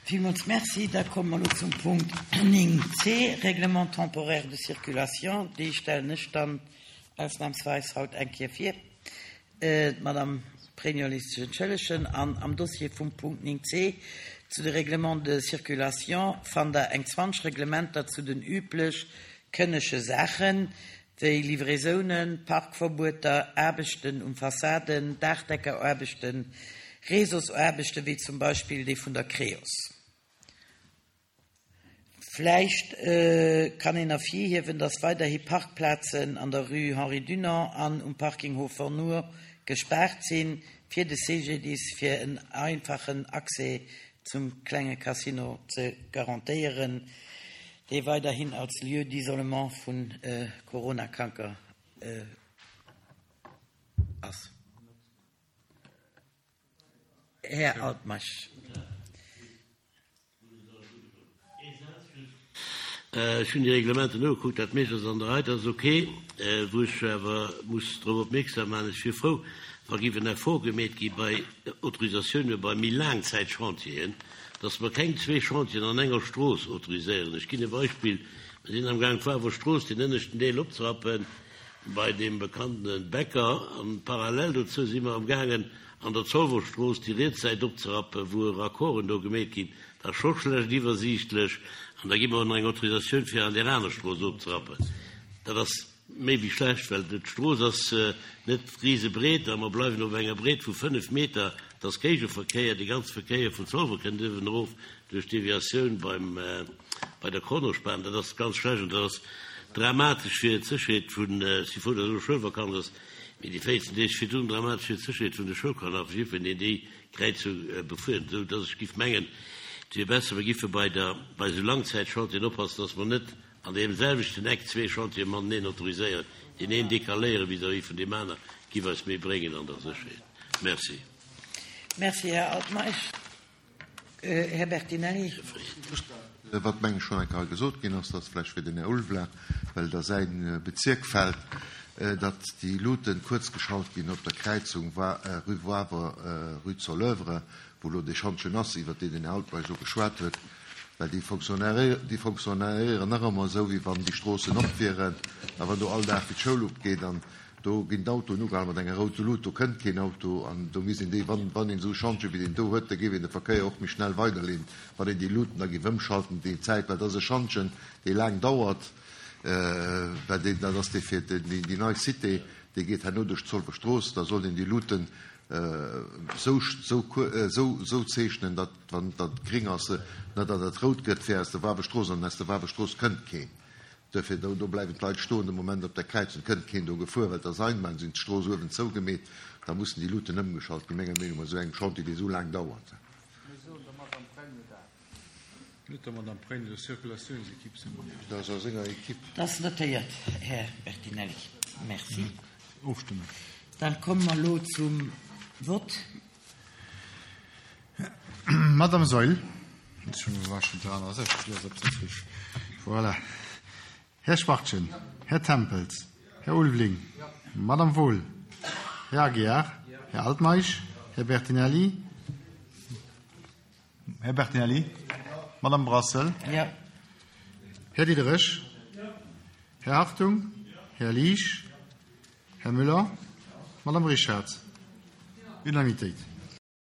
Villmools Merci. Da komme mer elo zum Punkt 9c, Règlement temporaire de circulation. Dee stellen ech dann ausnahmsweis haut eng Kéier vir. D'Madame Pregno léisst sech entschëllegen. An am Dossier vum Punkt 9c zu de Règlements de circulation fannt Der eng 20 Reglementer zu den üblech kënnege Saachen, wéi Livraisounen, Parkverbueter, Aarbechten um Fassaden, Daachdeckeraarbechten, Réseausaarbechten, wéi zum Beispill déi vun der Creos. Vläicht kann een ervirhiewen, dass weiderhi Parkplazen an der Rue Henri Dunant an um Parking Hofer Nour gespaart sinn, fir de CGDIS fir en einfachen Accès zum klenge Casino ze garantéieren, dee weiderhin als Lieu d'isolement vu Coronakranker ass. Här Altmeisch. Ech hunn déi Reglementen nogekuckt, dat meescht ass an der Rei, dat ass ok. Wou ech awer muss drop opmierksam maachen, ech wier frou, wa géif en Effort gemeet gi bei Autorisatioune bei méi Laangzäitchantieren, dass mer keng zwee Chantieren an enger Strooss autoriséieren. Ech ginn e Beispill, Mer sinn amgaang d'Wawer Strooss, deen ënneschten Deel opzerappen, bei deem bekannte Bäcker, an parallel dozou si mer amgaangen an der Zolwer Strooss déi riets Säit opzerappen, wou Raccorden do gemeet ginn. Dat ass scho schlecht iwwersiichtlech. An da gi mer och nach eng Autorisatioun fir an där aner Strooss ofzerappen. Dat ass méi wéi schlecht, well d'Strooss ass net risebreet a mer bleiwen op enger Breet vu 5 Meter. Et ass Géigeverkéier, dee ganze Verkéier vun Zolwer kënnt uewen erof duerch d'Deviatioun beim, bei der Kronospan. Dat ass ganz schlecht an dat ass dramatesch fir d'Sécherheet vun, ech si frou, datt elo Schoulvakanz ass, mee déi 14 Deeg virdrun dramatesch fir d'Sécherheet vun de Schoulkanner a fir jiddwereen, deen déi Kräizung befueren, esou dass ech giff mengen, et wier besser, mer giffe bei der, bei esou Langzäitchantieren oppassen, dass mer net an deem selwechten Eck zwee Chantiere mateneen autoriséieren. Deen een décaléiere vis-à-vis vun deem aner giff eis méi bréngen an der Sécherheet. Merci. Merci, Här Altmeisch. Här Bertinelli. Wat, meng ech, schonn eng Kéier hei gesot ginn ass, dass vläicht fir den Här Ulveling, well et a säi Bezierk fält, datt déi Luuten kuerzgeschalt ginn op der Kräizung rue Wawer, rue Soleuvre, wou elo dee Schantjen ass, iwwert deen den Här Altmeisch elo geschwat huet, well déi fonctionnéieren, déi fonctionnéieren nach ëmmer esou, wéi wann déi Stroossen op wieren a wann do all Dag wéi d'Schoul opgeet an Do ginn d'Autoen ugehal mat enger router Lut, do kënnt keen Auto an do misst een déi, wann wann een esou e Schantje wéi deen do huet, da géif een de Verkéier och méi schnell weiderleeden, wann een déi Luten da géif ëmschalten déi Zäit, well dat ass e Schantjen, dee laang dauert, well deen, dat ass dee fir déi déi nei Cité, dee geet herno duerch d'Zolwer Strooss, da sollt een déi Luten esou esou esou esou zeechnen, datt wann dat gréng ass, net datt et rout gëtt fir aus der Wawestrooss an aus der Wawestrooss kënnt keen. Duerfir, do, do bleiwen d'Leit stoen de Moment op der Kräizung, kënnt keen do gefuer, well d'Asseinbahn sinn d'Strooss uewen zougemeet, da mussen déi Luuten ëmgeschalt ginn, menger Meenung no, bei esou engem Chantier, dee esou laang dauert. Mir soen der Madame Pregno dat. Net der Madame Pregno, der Circulatiounsequipe senger. Dat ass a senger Equipe. Dat ass notéiert, Här Bertinelli. Merci. Ofstëmmen. Dann komme mer elo zum Vott. Madame Saeul. Voilà. Här Schwachtgen, Här Tempels, Här Ulveling, Madame Wohl, Här Aguiar, Här Altmeisch, Här Bertinelli, Här Bertinelli, Madame Brassel, Här Diderich, Här Hartung, Här Liesch, Här Müller, Madame Richard. Unanimitéit.